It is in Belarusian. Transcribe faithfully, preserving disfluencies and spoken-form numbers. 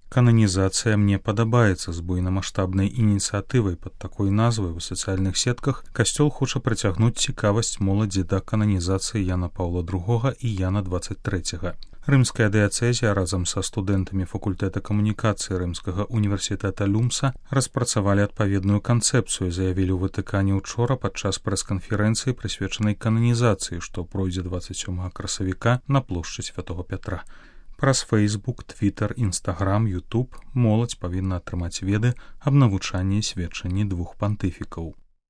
Кананізацыя мне падабаецца. З буйнамаштабнай ініцыятывай пад такой назвай у сацыяльных сетках касцёл хоча прыцягнуць цікавасць моладзі да кананізацыі Яна Паўла другога і Яна дваццаць трэцяга. Рымская дыяцэзія разам са студэнтамі факультэта камунікацыі Рымскага універсітэта Люмса распрацавалі адпаведную канцэпцыю, заявілі ў Ватыкане ўчора падчас прэс-канферэнцыі, прысвечанай кананізацыі, што пройдзе дваццаць сёмага красавіка на плошчы Святога Пятра. Праз Фэйсбук, Твітар, Інстаграм, Ютуб моладзь павінна атрымаць веды аб навучанні і сведчанні двух пантыфікаў.